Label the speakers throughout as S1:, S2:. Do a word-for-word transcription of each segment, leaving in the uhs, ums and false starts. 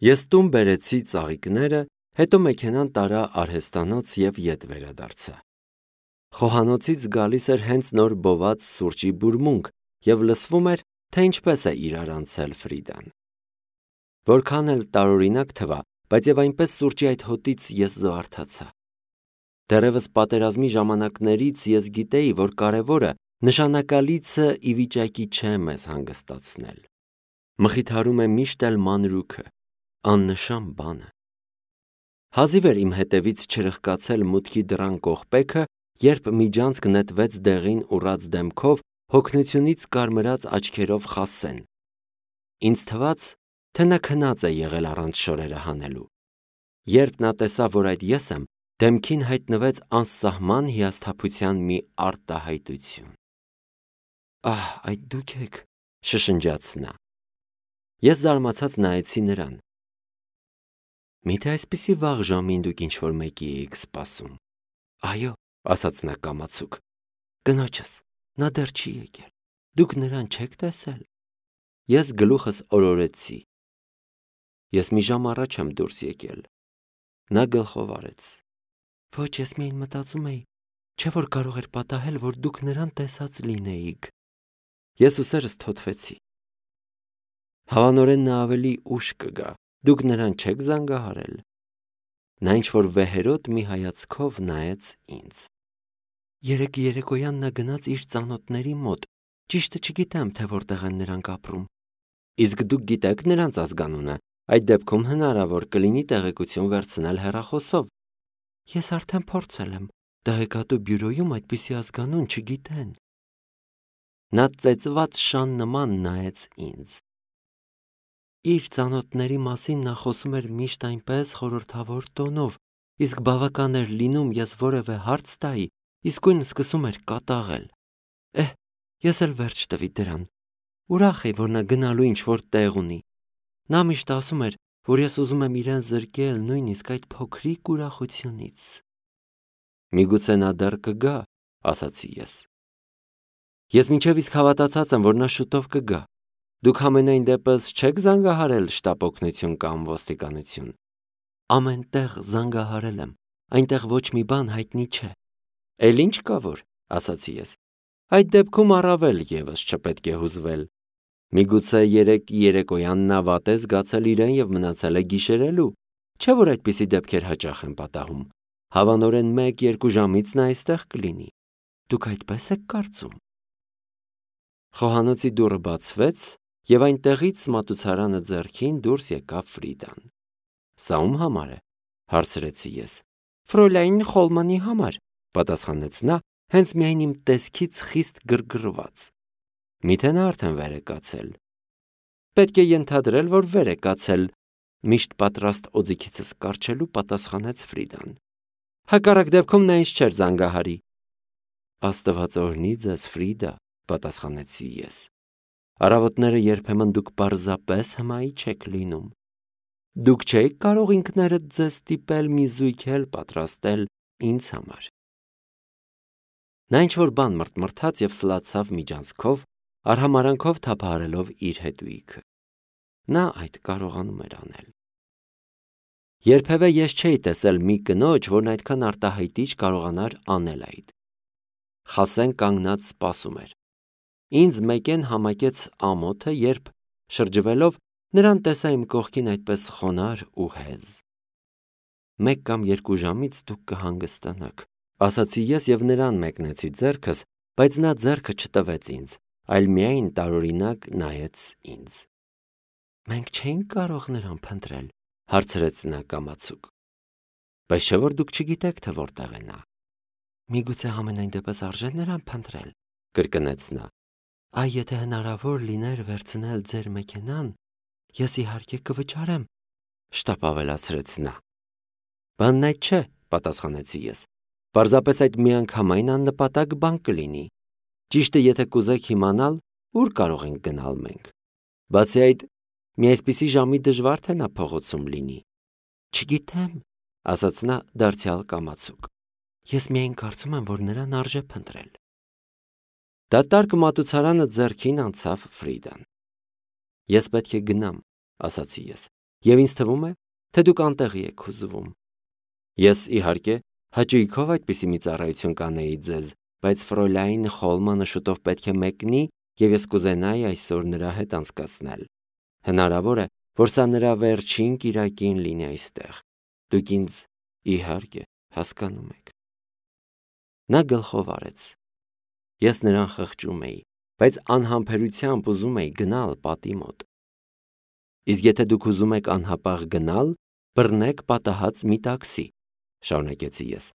S1: Ես տուն բերեցի ծաղիկները, հետո մեքենան տարա արհեստանոց և ետ վերադարձա։ Խոհանոցից գալիս էր հենց նոր բոված սուրճի բուրմունք և լսվում էր, թե ինչպես է իրար անցել Ֆրիդան։ Որքան էլ տարօրինակ թվա, բայց և այնպես սուրճի այդ հոտից ես զվարթացա։ Դեռևս պատերազմի ժամանակներից ես գիտեի, որ կարևորը նշանակալիցը ի վիճակի չէ մեզ հանգստացնել։ Մխիթարում է միշտ էլ մանրուքը, աննշան բանը։ Հազիվ էր իմ հետևից չրխկացել մուտքի դռան կողպեքը, երբ միջանցք նետվեց դեղին ուռած դեմքով, հոգնությունից կարմրած աչքերով Խասեն։ Ինձ թվաց, թե նա քնած է եղել առանց շորերը հանելու։ Երբ նա տեսավ, որ այդ ես եմ, դեմքին հայտնվեց անսահման հիասթափության մի արտահայտություն։ «Ահ, այդ դուք եք», շշնջաց նա։ Ես զարմացած նայեցի նրան։ «Միթե այսպիսի վաղ ժամին դուք ինչ-որ մեկի էիք սպասում»։ «Այո», ասաց նա կամացուկ, «կնոջս, նա դեռ չի եկել, դուք նրան չեք տեսել»։ Ես գլուխս օրորեցի։ «Ես մի ժամ առաջ եմ դուրս եկել»։ Նա գլխով արեց։ «Ոչ, ես միայն մտածում էի, չէ՞ որ կարող էր պատահել, որ դուք նրան տեսած լինեիք»։ Ես ուսերս թոթվեցի։ «Հավանորեն նա ավելի ուշ կգա, դուք նրան չեք զանգահարել»։ Նա ինչ-որ վեհերոտ մի հայացքով նայեց ինձ։ «Երեկ երեկոյան նա գնաց իր ծանոթների մոտ, ճիշտը չգիտեմ, թե որտեղ են նրանք ապրում»։ «Իսկ դուք գիտեք նրանց ազգանունը, այդ դեպքում հնարավոր կլինի տեղեկություն վերցնել հեռախոսով»։ «Ես արդեն փորձել եմ, տեղեկատու բյուրոյում այդպիսի ազգանուն չգիտեն»։ Նա ծեծված շան նման նայեց ինձ։ Իր ծանոթների մասին նա խոսում էր միշտ այնպես խորհրդավոր տոնով, իսկ բավական էր լինում ես որևէ հարց տայի, իսկույն սկսում էր կատաղել։ Էհ, ես էլ վերջ տվի դրան։ Ուրախ էի, որ նա գնալու ինչ-որ տեղ ունի։ Նա միշտ ասում էր, որ ես ուզում եմ իրեն զրկել նույնիսկ այդ փոքրիկ ուրախությունից։ «Միգուցե նա դեռ կգա», ասացի ես։ «Ես մինչև իսկ հավատացած եմ, որ նա շուտով կգա։ Դուք համենայն դեպս չեք զանգահարել շտապ օգնություն կամ ոստիկանություն»։ «Ամեն տեղ զանգահարել եմ, այնտեղ ոչ մի բան հայտնի չէ»։ «Էլ ինչ կա որ», ասացի ես։ «Այդ դեպքում առավել ևս չպետք է հուզվել։ Միգուցե երեկ երեկոյան նա վատ է զգացել իրեն և մնացել է գիշերելու, չէ՞ որ այդպիսի դեպքեր հաճախ են պատահում։ Հավանորեն մեկ-երկու ժամից նա այստեղ կլինի։ Դուք այդպես եք կարծում»։ Խոհանոցի դուռը բացվեց, և այնտեղից մատուցարանը ձեռքին դուրս եկավ Ֆրիդան։ «Սա ում համար է», հարցրեցի ես։ «Ֆրոլային Խոլմանի համար», պատասխանեց նա, հենց միայն իմ տեսքից խիստ գրգռված։ «Միթե նա արդեն վեր է կացել»։ «Պետք է ենթադրել, որ վեր է կացել», միշտ պատրաստ օձիքիցս կառչելու պատասխանեց Ֆրիդան։ «Հակառակ դեպքում նա ինձ չէր զանգահարի»։ «Աստված օրհնի ձեզ, Ֆրիդա», պատասխանեցի ես։ «Առավոտները երբեմն դուք պարզապես հմայի չեք լինում։ Դուք չէիք կարող ինքներդ ձեզ ստիպել մի զույգ էլ պատրաստել ինձ համար»։ Նա ինչ-որ բան մռթմռթաց և սլացավ միջանցքով, արհամարհանքով թափահարելով իր հետույքը։ Նա այդ կարողանում էր անել։ Երբևէ ես չէի տեսել մի կնոջ, որն այդքան արտահայտիչ կարողանար անել այդ։ Խասեն կանգնած սպասում էր։ Ինձ մեկեն համակեց ամոթը, երբ, շրջվելով, նրան տեսա իմ կողքին այդպես խոնարհ ու հեզ։ «Մեկ կամ երկու ժամից դուք կհանգստանաք», ասացի ես և նրան մեկնեցի ձեռքս, բայց նա ձեռքը չտվեց ինձ, այլ միայն տարօրինակ նայեց ինձ։ «Մենք չէինք կարող նրան փնտրել», հարցրեց նա կամացուկ։ «Բայց չէ՞ որ դուք չգիտեք, թե որտեղ է նա»։ «Միգուցե համենայն դեպս արժե նրան փնտրել», կրկնեց նա։ «Այ եթե հնարավոր լիներ վերցնել ձեր մեքենան, ես իհարկե կվճարեմ», շտապ ավելացրեց նա։ «Բանն այդ չէ», պատասխանեցի ես։ «Պարզապես այդ միանգամայն աննպատակ բան կլինի։ Ճիշտը եթե կուզեք իմանալ, ուր կարող ենք գնալ մենք։ Բացի այդ, մի այսպիսի ժամի դժվար թե նա փողոցում լինի»։ «Չգիտեմ», ասաց նա դարձյալ կամացուկ։ «Ես միայն կարծում եմ, որ նրան արժե փնտրել»։ Դատարկ մատուցարանը ձեռքին անցավ Ֆրիդան։ «Ես պետք է գնամ», ասացի ես։ Եվ ինձ թվում է, թե դուք անտեղի եք հուզվում։ Ես, իհարկե, հաճույքով այդպիսի մի ծառայություն կանեի ձեզ, բայց Ֆրոյլայն Խոլմանը շուտով պետք է մեկնի, եւ ես կուզենայի այսօր նրա հետ անցկացնել։ Հնարավոր է, որ սա նրա վերջին կիրակին լինի այստեղ։ Դուք ինձ, իհարկե, հասկանում եք։ Նա գլխով արեց։ Ես նրան խղճում էի, բայց անհամբերությամբ ուզում էի գնալ պատի մոտ։ Իսկ եթե դուք ուզում եք անհապաղ գնալ, բռնեք պատահած մի տաքսի, շարունակեցի ես,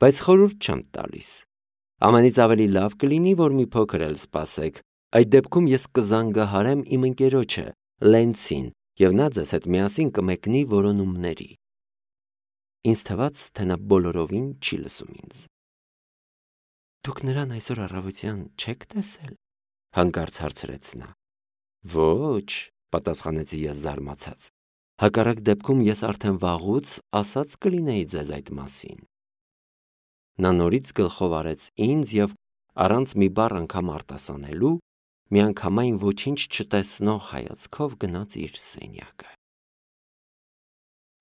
S1: բայց խորհուրդ չեմ տալիս։ Ամենից ավելի լավ կլինի, որ մի փոքր էլ սպասեք, այդ դեպքում ես կզանգահարեմ իմ ընկերոջը, Լենցին, եւ նա ձեզ հետ միասին կմեկնի որոնումների։ Ինձ թվաց, թե նա բոլորովին չի լսում ինձ։ Դուք նրան այսօր առավոտյան չեք տեսել, հանկարծ հարցրեց նա։ Ոչ, պատասխանեցի ես զարմացած։ Հակառակ դեպքում ես արդեն վաղուց ասած կլինեի ձեզ այդ մասին։ Նա նորից գլխով արեց ինձ եւ առանց մի բառ անգամ արտասանելու միանգամայն ոչինչ չտեսնող հայացքով գնաց իր սենյակը։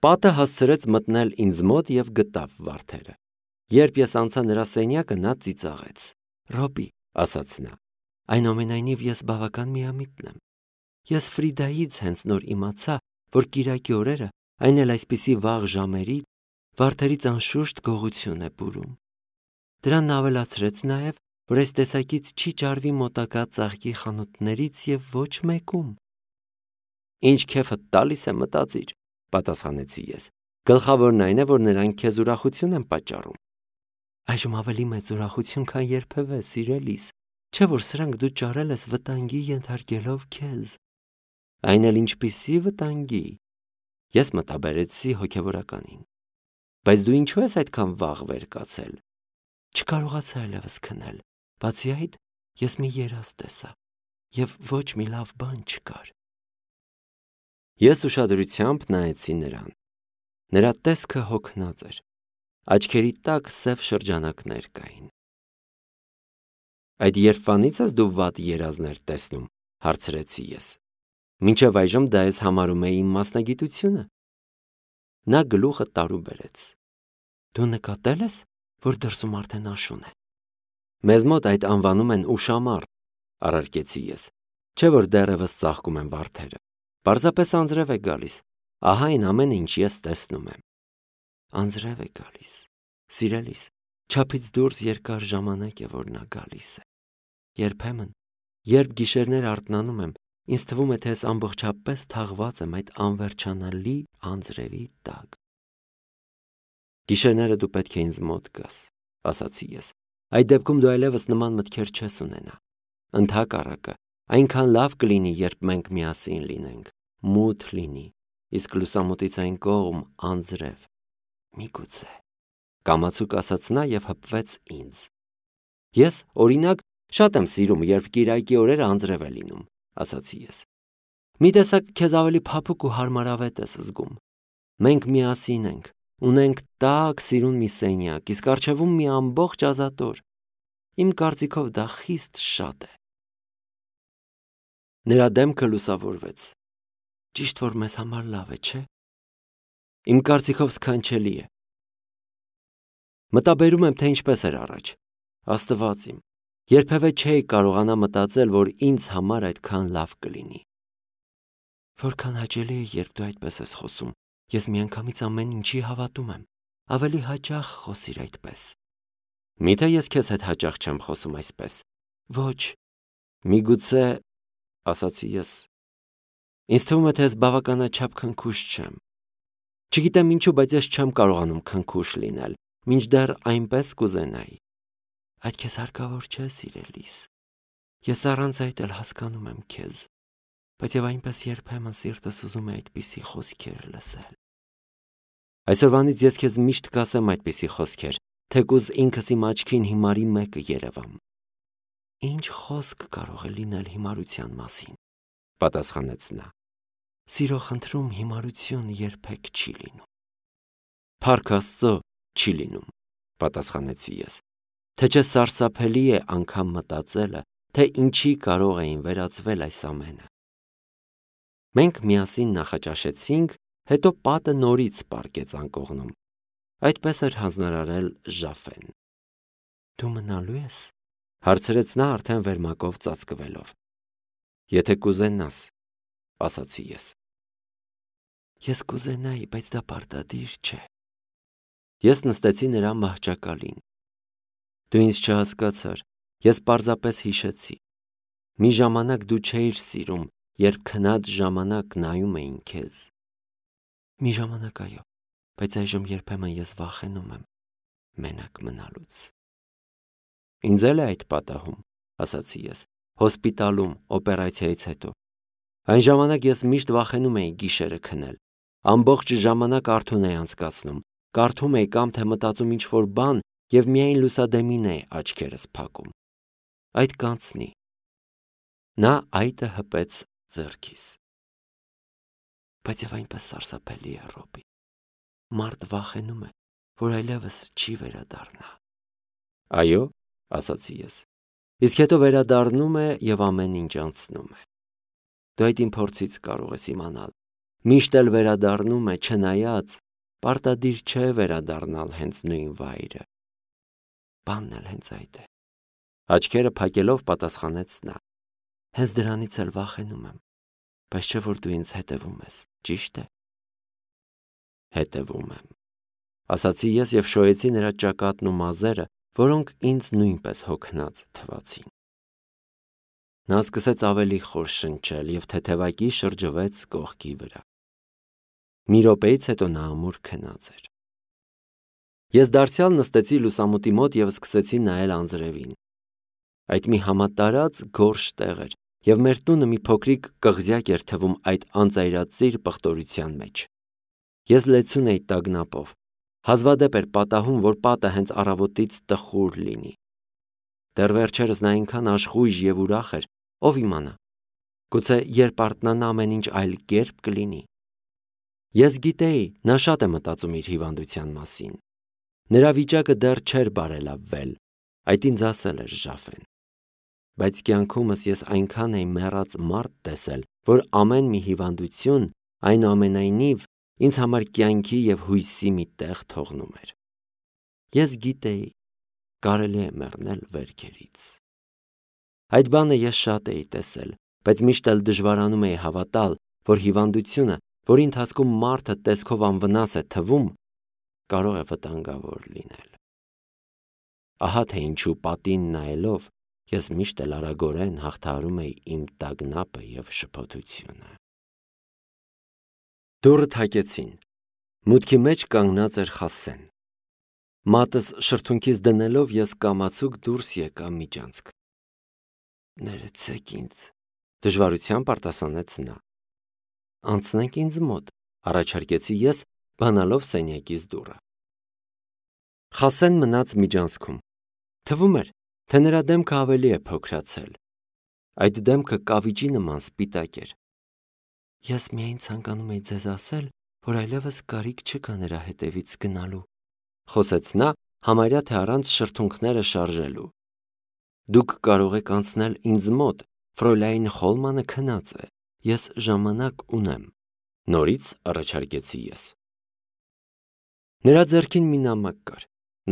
S1: Պատը հասցրեց մտնել ինձ մոտ եւ գտավ վարդերը։ Երբ ես անցա նրա սենյակը, նա ծիծաղեց։ Ռոբի, ասաց նա, այնուամենայնիվ ես բավական միամիտն եմ։ Ես Ֆրիդայից հենց նոր իմացա, որ կիրակի օրերը, այն էլ այսպիսի վաղ ժամերի, վարդերից անշուշտ գողություն է բուրում։ Դրան ավելացրեց նաև, որ այս տեսակից չի ճարվի մոտակա ծաղկի խանութներից եւ ոչ մեկում։ Ինչ քեֆը տալիս է մտածիր, պատասխանեցի ես։ Գլխավորն այն է, որ նրանք քեզ ուրախություն են պատճառում։ Այժմ ավելի մեծ ուրախություն, քան երբևէ, սիրելիս, չէ՞ որ սրանք դու ճարել ես վտանգի ենթարկելով քեզ։ Այն էլ ինչպիսի վտանգի։ Ես մտաբերեցի հոգևորականին։ Բայց դու ինչու ես այդքան վաղ վեր կացել։ Չկարողացա այլևս քնել։ Բացի այդ, ես մի երազ տեսա, եւ ոչ մի լավ բան չկար։ Ես ուշադրությամբ նայեցի նրան։ Նրա տեսքը հոգնած էր։ Աչքերի տակ սև շրջանակներ կային։ Այդ երբվանից ես դու վատ երազներ տեսնում, հարցրեցի ես։ Մինչև այժմ դա ես համարում էի իմ մասնագիտությունը։ Նա գլուխը տարու բերեց։ Դու նկատել ես, որ դրսում արդեն աշուն է։ Մեզ մոտ այդ անվանում են ուշամառ, առարկեցի ես, չէ՞ որ դեռևս ծաղկում են վարդերը։ Պարզապես անձրև է գալիս։ Ահա այն ամենը, ինչ ես տեսնում եմ։ Անձրև է գալիս։ Սիրելիս, չափից դուրս երկար ժամանակ է, որ նա գալիս է։ Երբեմն, երբ գիշերներ արթնանում եմ, ինձ թվում է, թե ես ամբողջապես թաղված եմ այդ անվերջանալի անձրևի տակ։ Գիշերները դու պետք է ինձ մոտ գաս, ասացի ես։ Այդ դեպքում դու այլևս նման մտքեր չես ունենա։ Ընդհակառակը, այնքան լավ կլինի, երբ մենք միասին լինենք, մութ լինի, իսկ լուսամուտից այն կողմ անձրև։ Միգուցե, կամացուկ ասաց նա եւ հպվեց ինձ։ Ես, օրինակ, շատ եմ սիրում, երբ կիրակի օրերը անձրև է լինում, ասացի ես։ Մի տեսակ քեզ ավելի փափուկ ու հարմարավետ ես զգում։ Մենք միասին ենք, ունենք տաք սիրուն մի սենյակ, իսկ առջևում մի ամբողջ ազատոր։ Իմ կարծիքով դա խիստ շատ է։ Նրա դեմքը լուսավորվեց։ Ճիշտ որ մեզ համար լավ է, չէ՞։ Իմ կարծիքով սքանչելի է։ Մտաբերում եմ, թե ինչպես էր առաջ։ Աստված իմ, երբևէ չէի կարողանա մտածել, որ ինձ համար այդքան լավ կլինի։ Որքան հաճելի է, երբ դու այդպես ես խոսում։ Ես միանգամից ամեն ինչի հավատում եմ։ Ավելի հաճախ խոսիր այդպես։ Միթե ես քեզ հետ հաճախ չեմ խոսում այսպես։ Ոչ։ Միգուցե, ասացի ես։ Ինձ թվում է, թե ես բավականաչափ քնքուշ չեմ։ Չգիտեմ ինչու, բայց ես չեմ կարողանում քնքուշ լինել, մինչդեռ այնպես կուզենայի։ Այդ քեզ հարկավոր չէ, սիրելիս։ Ես առանց այդ էլ հասկանում եմ քեզ, բայց եւ այնպես երբեմն սիրտս ուզում է այդպիսի խոսքեր լսել։ Այսօրվանից ես քեզ միշտ կասեմ այդպիսի խոսքեր, թեկուզ ինքս իմ աչքին հիմարի մեկը երևամ։ Ինչ խոսք կարող է լինել հիմարության մասին, պատասխանեց նա։ Սիրո խնդրում հիմարություն երբեք չի լինում։ Փառք Աստծո, չի լինում, պատասխանեցի ես։ Թե չէ սարսափելի է անգամ մտածելը, թե ինչի կարող էին վերածվել այս ամենը։ Մենք միասին նախաճաշեցինք հետո պատը նորից պառկեց անկողնում։ Այդպես էր հանձնարարել Ժաֆեն։ Դու մնալու ես, հարցրեց նա արդեն վերմակով ծածկվելով։ Եթե կուզենաս, ասացի ես։ Ես կուզենայի, բայց դա պարտադիր չէ։ Ես նստեցի նրա մահճակալին։ Դու ինձ չհասկացար, ես պարզապես հիշեցի։ Մի ժամանակ դու չէիր սիրում, երբ քնած ժամանակ նայում էին քեզ։ Մի ժամանակ այո, բայց այժմ երբեմն ես վախենում եմ մենակ մնալուց։ Ինձ էլ է այդ պատահում, ասացի ես, հոսպիտալում, օպերացիայից հետո։ Այն ժամանակ ես միշտ վախենում էի գիշերը քնել։ Ամբողջ ժամանակ արթուն էի անցկացնում, կարդում էի կամ թե մտածում ինչ-որ բան և միայն լուսադեմին էի աչքերս փակում։ Այդ կանցնի։ Նա այտը հպեց ձեռքիս։ Բայց և այնպես սարսափելի է, Ռոբի։ Մարդ վախենում է, որ այլևս չի վերադառնա։ Այո, ասացի ես։ Իսկ հետո վերադառնում է և ամեն ինչ անցնում է։ Դու այդ իմ փորձից կարող ես իմանալ։ Միշտ էլ վերադառնում է, չնայած պարտադիր չէ վերադառնալ հենց նույն վայրը։ Բանն էլ հենց այդ է։ Աչքերը փակելով պատասխանեց նա։ Հենց դրանից էլ վախենում եմ, բայց չէ որ դու ինձ հետևում ես, ճիշտ է։ Հետևում եմ, ասացի ես և շոյեցի նրա ճակատն ու մազերը, որոնք ինձ նույնպես հոգնած թվացին։ Նա սկսեց ավելի խոր շնչել և թեթևակի շրջվեց կողքի վրա։ Մի րոպեից հետո նա ամուր քնած էր։ Ես դարձյալ նստեցի լուսամուտի մոտ և սկսեցի նայել անձրևին։ Այդ մի համատարած գորշ տեղ էր, և մեր տունը մի փոքրիկ կղզյակ էր թվում այդ անծայրածիր պղտորության մեջ։ Ես լեցուն էի տագնապով։ Հազվադեպ էր պատահում, որ պատը հենց առավոտից տխուր լինի։ Դեռ վերջերս նա այնքան աշխույժ և ուրախ էր, ով իմանա։ Գուցե երբ արթնանա ամեն ինչ այլ կերպ կլինի։ Ես գիտեի, նա շատ է մտածում իր հիվանդության մասին։ Նրա վիճակը դեռ չէր բարելավվել, այդ ինձ ասել էր Ժաֆեն։ Բայց կյանքումս ես այնքան էի մեռած մարդ տեսել, որ ամեն մի հիվանդություն, այնուամենայնիվ, ինձ համար կյանքի և հույսի մի տեղ թողնում էր։ Ես գիտեի, կարելի է մեռնել վերքերից։ Այդ բանը ես շատ էի տեսել, բայց միշտ էլ դժվարանում էի հավատալ, որ հիվանդությունը, որի ընթացքում մարդը տեսքով անվնաս է թվում, կարող է վտանգավոր լինել։ Ահա թե ինչու պատին նայելով ես միշտ էլ արագորեն հաղթահարում էի իմ տագնապը և շփոթությունը։ Դուռը թակեցին։ Մուտքի մեջ կանգնած էր Խասեն։ Մատս շրթունքիս դնելով ես կամացուկ դուրս եկա միջանցք։ Ներեցեք ինձ, դժվարությամբ արտասանեց նա։ Անցնենք ինձ մոտ, առաջարկեցի ես, բանալով սենյակից դուռը։ Խասեն մնաց միջանցքում։ Թվում էր, թե նրա դեմքը ավելի է փոքրացել։ Այդ դեմքը կավիճի նման սպիտակ էր։ Ես միայն ցանկանում էի ձեզ ասել, որ այլևս կարիք չկա նրա հետևից գնալու, խոսեց նա, համարյա թե առանց շրթունքները շարժելու։ Դուք կարող եք անցնել ինձ մոտ, Ֆրոյլայն Խոլմանը քնած է, ես ժամանակ ունեմ, նորից առաջարկեցի ես։ Նրա ձեռքին մի նամակ կար։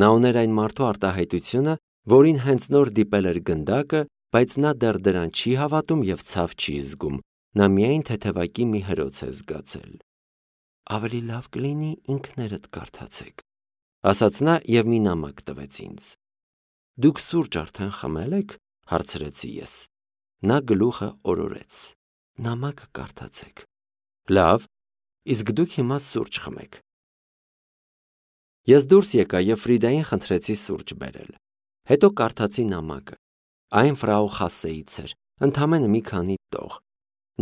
S1: Նա ուներ այն մարդու արտահայտությունը, որին հենց նոր դիպել էր գնդակը, բայց նա դեռ դրան չի հավատում և ցավ չի զգում, նա միայն թեթևակի մի հրոց է զգացել։ Ավելի լավ կլինի ինքներդ կարդացեք, ասաց նա և մի նամակ տվեց ինձ։ Դուք սուրճ արդեն խմել եք, հարցրեցի ես։ Նա գլուխը օրորեց։ Նամակը կարդացեք։ Լավ, իսկ դուք հիմա սուրճ խմեք։ Ես դուրս եկա և Ֆրիդային խնդրեցի սուրճ բերել։ Հետո կարդացի նամակը։ Այն ֆրաու Խասեից էր, ընդամենը մի քանի տող։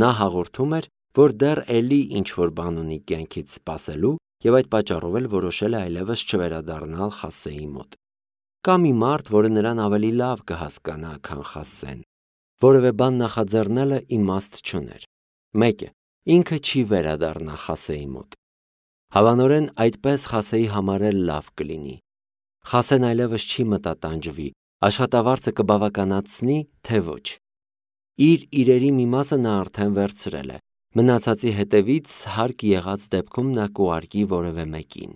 S1: Նա հաղորդում էր, որ դեռ էլի ինչ-որ բան ունի կյանքից սպասելու և այդ պատճառով էլ որոշել է այլևս չվերադառնալ Խասեի մոտ։ Կա մի մարդ, որը նրան ավելի լավ կհասկանա, քան Խասեն։ Որևէ բան նախաձեռնելը իմաստ չուներ։ Մեկ է, ինքը չի վերադառնա Խասեի մոտ։ Հավանորեն այդպես Խասեի համար էլ լավ կլինի։ Խասեն այլևս չի մտատանջվի, աշխատավարձը կբավականացնի, թե ոչ։ Իր իրերի մի մասը նա արդեն վերցրել է, Մնացածի հետևից հարկ եղած դեպքում նա կուղարկի որևէ մեկին։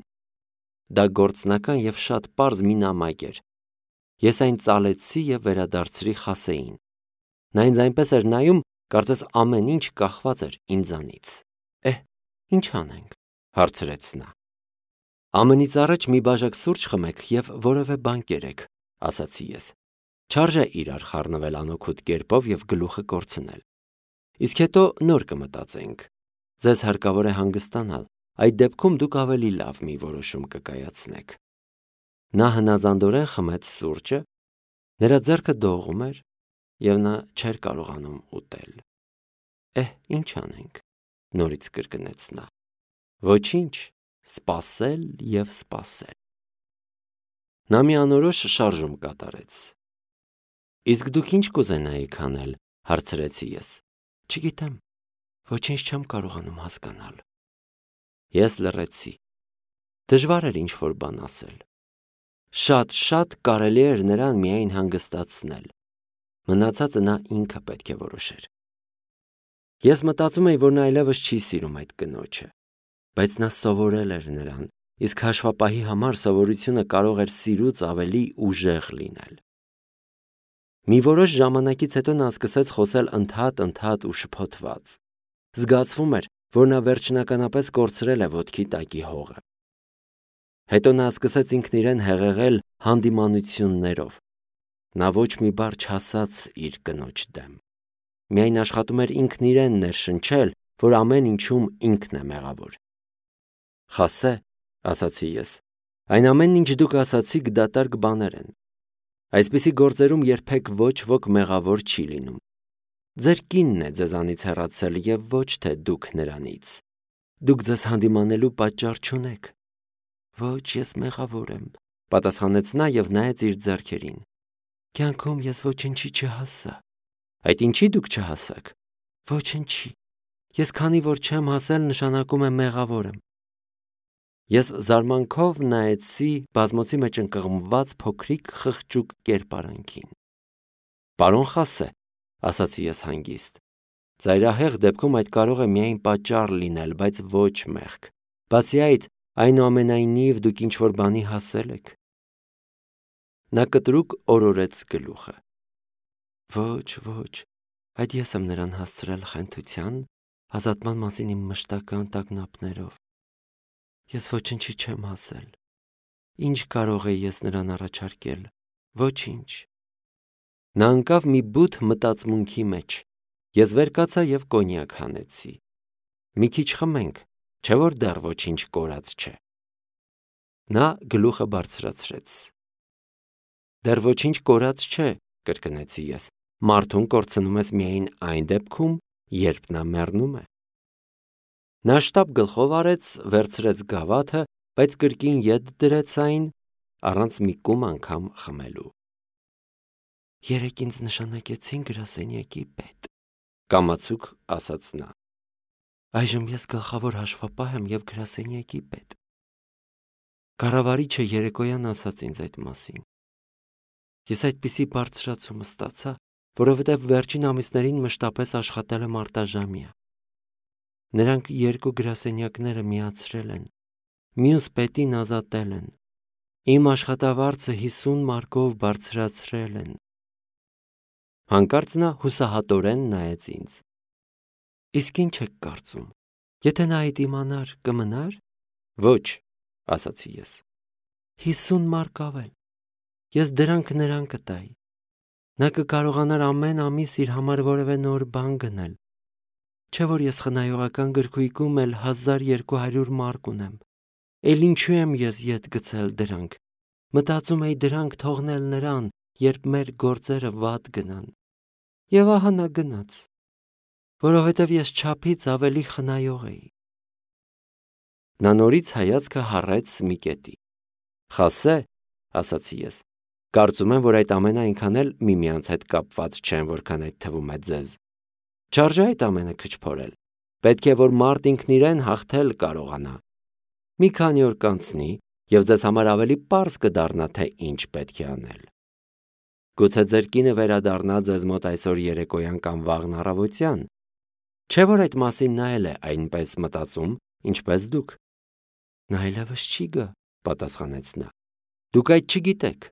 S1: Դա գործնական և շատ պարզ մի նամակ էր։ Ես այն ծալեցի և վերադարձրի Խասեին։ Նա ինձ այնպես էր նայում, կարծես ամեն ինչ կախված էր ինձանից։ Էհ, ի՞նչ անենք, հարցրեց նա։ Ամենից առաջ մի բաժակ սուրճ խմեք և որևէ բան կերեք, ասացի ես։ Չարժե իրար խառնվել անօգուտ կերպով և գլուխը կորցնել։ Իսկ հետո նոր կմտածենք։ Ձեզ հարկավոր է հանգստանալ, այդ դեպքում դուք ավելի լավ մի որոշում կկայացնեք։ Նա հնազանդորեն խմեց սուրճը, նրա ձեռքը դողում էր, և նա չէր կարողանում ուտել։ Էհ, ի՞նչ անենք, նորից կրկնեց նա։ Ոչինչ, սպասել և սպասել։ Նա մի անորոշ շարժում կատարեց։ Իսկ դուք ինչ կուզենայիք անել, հարցրեցի ես։ Չգիտեմ, ոչինչ չեմ կարողանում հասկանալ։ Ես լռեցի։ Դժվար էր ինչ-որ բան ասել։ Շատ-շատ կարելի էր նրան միայն հանգստացնել։ Մնացածը նա ինքը պետք է որոշեր։ Ես մտածում էի, որ նա այլևս չի սիրում այդ կնոջը, բայց նա սովորել էր նրան, իսկ հաշվապահի համար սովորությունը կարող էր սիրուց ավելի ուժեղ լինել։ Մի որոշ ժամանակից հետո նա սկսեց խոսել ընդհատ-ընդհատ ու շփոթված։ Զգացվում էր, որ նա վերջնականապես կորցրել է ոտքի տակի հողը։ Հետո նա սկսեց ինքն իրեն հեղեղել հանդիմանություններով։ Նա ոչ մի բառ չասաց իր կնոջ դեմ։ Միայն աշխատում էր ինքն իրեն ներշնչել, որ ամեն ինչում ինքն է մեղավոր։ Խասե, ասացի ես, այն ամենն, ինչ դուք ասացիք, դատարկ բաներ են։ Այսպիսի գործերում երբեք ոչ ոք մեղավոր չի լինում։ Ձեր կինն է ձեզանից հեռացել և ոչ թե դուք նրանից։ Դուք ձեզ հանդիմանելու պատճառ չունեք։ Ոչ, ես մեղավոր եմ, պատասխանեց նա և նայեց իր ձեռքերին։ Կյանքում ես ոչինչի չհասա։ Այդ ինչի դուք չհասաք։ Ոչինչի։ Ես քանի որ չեմ հասել, նշանակում է մեղավոր եմ։ Ես զարմանքով նայեցի բազմոցի մեջ ընկղմված փոքրիկ խղճուկ կերպարանքին։ Պարոն Խասե, ասացի ես հանգիստ, ծայրահեղ դեպքում այդ կարող է միայն պատճառ լինել, բայց ոչ մեղք։ Բացի այդ, այնուամենայնիվ դուք ինչ-որ բանի հասել եք։ Նա կտրուկ օրորեց գլուխը։ Ոչ, ոչ, այդ ես եմ նրան հասցրել խենթության, ազատման մասին իմ մշտական տագնապներով։ Ես ոչինչի չեմ հասել։ Ինչ կարող էի ես նրան առաջարկել։ Ոչինչ։ Նա ընկավ մի բութ մտածմունքի մեջ։ Ես վեր կացա և կոնյակ հանեցի։ Մի քիչ խմենք, չէ՞ որ դեռ ոչինչ կորած չէ։ Նա գլուխը բարձրացրեց։ Դեռ ոչինչ կորած չէ, կրկնեցի ես։ Մարդուն կորցնում ես միայն այն դեպքում, երբ նա մեռնում է։ Նա շտապ գլխով արեց, վերցրեց գավաթը, բայց կրկին ետ դրեց այն, առանց մի կում անգամ խմելու։ Երեկ ինձ նշանակեցին գրասենյակի պետ, կամացուկ ասաց նա։ Այժմ ես գլխավոր հաշվապահ եմ և գրասենյակի պետ։ Կառավարիչը երեկոյան ասաց ինձ այդ մասին։ Ես այդպիսի բարձրացում ստացա, որովհետև վերջին ամիսներին մշտապես աշխատել եմ արտաժամյա։ Նրանք երկու գրասենյակները միացրել են, մյուս պետին ազատել են։ Իմ աշխատավարձը հիսուն մարկով բարձրացրել են։ Հանկարծ նա հուսահատորեն նայեց ինձ։ Իսկ ինչ եք կարծում, եթե նա այդ իմանար, կմնար։ Ոչ, ասացի ես։ Հիսուն մարկ ավել։ Ես դրանք նրան կտայի։ Նա կկարողանար ամեն ամիս իր համար որևէ նոր բան գնել։ Չէ՞ որ ես խնայողական գրքույկում էլ հազար երկու հարյուր մարկ ունեմ։ Էլ ինչու եմ ես ետ գցել դրանք։ Մտածում էի դրանք թողնել նրան, երբ մեր գործերը վատ գնան։ Եվ ահա նա գնաց, որովհետև ես չափից ավելի խնայող էի։ Նա նորից հայացքը հառեց մի կետի։ Խասե, ասացի ես, կարծում եմ, որ այդ ամենը այնքան էլ միմյանց հետ կապված չեն, որքան այդ թվում է ձեզ։ Չարժե այդ ամենը քչփորել։ Պետք է, որ մարդ ինքն իրեն հաղթել կարողանա։ Մի քանի օր կանցնի, և ձեզ համար ավելի պարզ կդառնա, թե ինչ պետք է անել։ Գուցե ձեր կինը վերադառնա ձեզ մոտ այսօր երեկոյան կամ վաղն առավոտյան։ Չէ՞ որ այդ մասին նա էլ է այնպես մտածում, ինչպես դուք։ Նա այլևս չի գա, պատասխանեց նա։ Դուք այդ չգիտեք։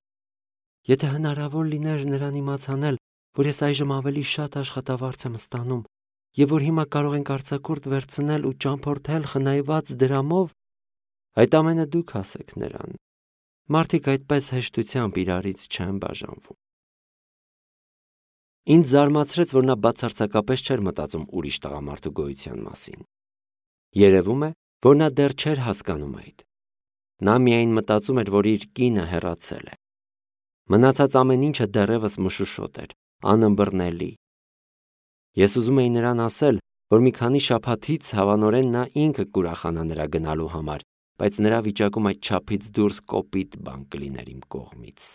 S1: Եթե հնարավոր լիներ նրան իմացանել, որ ես այժմ ավելի շատ աշխատավարձ եմ ստանում, եւ որ հիմա կարող ենք արձակուրդ վերցնել ու ճամփորդել խնայված դրամով, այդ ամենը դուք ասեք նրան։ Մարդիկ այդպես հեշտությամբ իրարից չեն բաժանվում։ Ինձ զարմացրեց, որ նա բացարձակապես չէր մտածում ուրիշ տղամարդու գոյության մասին։ Երևում է, որ նա դեռ չէր հասկանում այդ։ Նա միայն մտածում էր, որ իր կինը հեռացել է։ Մնացած ամեն ինչը դեռևս մշուշոտ էր, անըմբռնելի։ Ես ուզում էի նրան ասել, որ մի քանի շաբաթից հավանորեն նա ինքը կուրախանա նրա գնալու համար, բայց նրա վիճակում այդ չափից դուրս կոպիտ բան կլիներ իմ կողմից։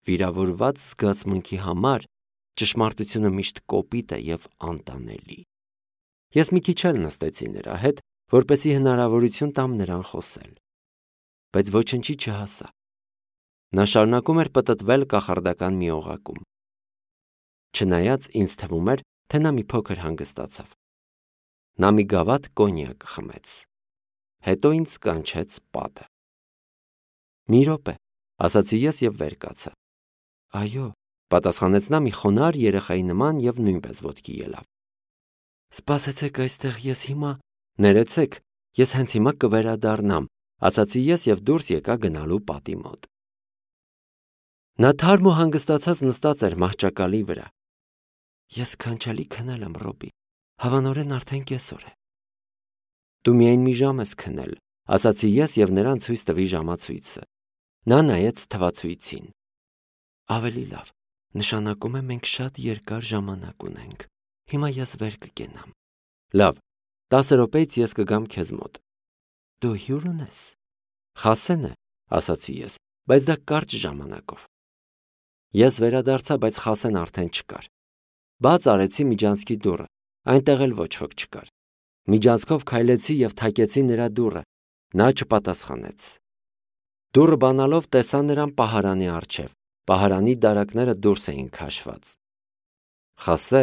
S1: Վիրավորված զգացմունքի համար ճշմարտությունը միշտ կոպիտ է և անտանելի։ Ես մի քիչ էլ նստեցի նրա հետ, որպեսզի հնարավորություն տամ նրան խոսել։ Բայց ոչնչի չհասա։ Նա շարունակում էր պտտվել կախարդական մի օղակում։ Չնայած ինձ թվում էր, թե նա մի փոքր հանգստացավ։ Նա մի գավաթ կոնյակ խմեց։ Հետո ինձ կանչեց պատը։ Մի րոպե, ասացի ես և վեր կացա։ Այո, պատասխանեց նա մի խոնարհ երեխայի նման և նույնպես ոտքի ելավ։ Սպասեցեք այստեղ, ես հիմա… Ներեցեք, ես հենց հիմա կվերադառնամ, ասացի ես և դուրս եկա գնալու պատի մոտ։ Նա թարմ ու հանգստացած նստած էր մահճակալի վրա։ Ես քանչելի քնել եմ, Ռոբի, հավանորեն արդեն կեսօր է։ Դու միայն մի ժամ ես քնել, ասացի ես և նրան ցույց տվի ժամացույցը։ Նա նայեց թվացույցին։ Ավելի լավ, նշանակում է մենք շատ երկար ժամանակ ունենք։ Հիմա ես վեր կկենամ։ Լավ, տասը րոպեից ես կգամ քեզ մոտ։ Դու հյուր ունես։ Խասեն է, ասացի ես, բայց դա կարճ ժամանակով։ Ես վերադարձա, բայց Խասեն արդեն չկար։ Բաց արեցի միջանցքի դուռը, այնտեղ էլ ոչ ոք չկար։ Միջանցքով քայլեցի և թակեցի նրա դուռը։ Նա չպատասխանեց։ Դուռը բանալով տեսա նրան պահարանի առջև։ Պահարանի դարակները դուրս էին քաշված։ Խասե,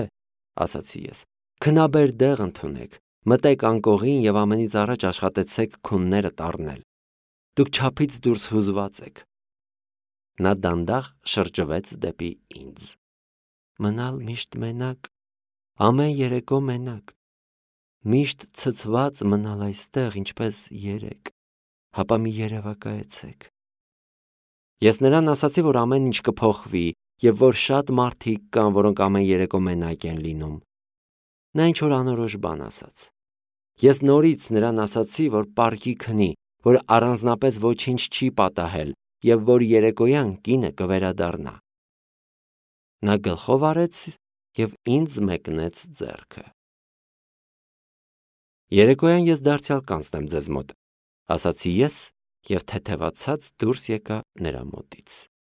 S1: ասացի ես, քնաբեր դեղ ընդունեք, մտեք անկողին և ամենից առաջ աշխատեցեք քունները տառնել։ Դուք չափից դուրս հուզված եք։ Նա դանդաղ շրջվեց դեպի ինձ։ Մնալ միշտ մենակ, ամեն երեկո մենակ, միշտ ցցված մնալ այստեղ, ինչպես երեկ, հապա մի երևակայեցեք։ Ես նրան ասացի, որ ամեն ինչ կփոխվի և որ շատ մարդիկ կան, որոնք ամեն երեկո մենակ են լինում։ Նա ինչ-որ անորոշ բան ասաց։ Ես նորից նրան ասացի, որ պարկի քնի, որ առանձնապես ոչինչ չի պատահել և որ երեկոյան կինը կվերադառնա։ Նա գլխով արեց և ինձ մեկնեց ձեռքը։ Երեկոյան ես դարձյալ կանցնեմ ձեզ մոտ, ասացի ես և թեթևացած դուրս եկա նրա մոտից։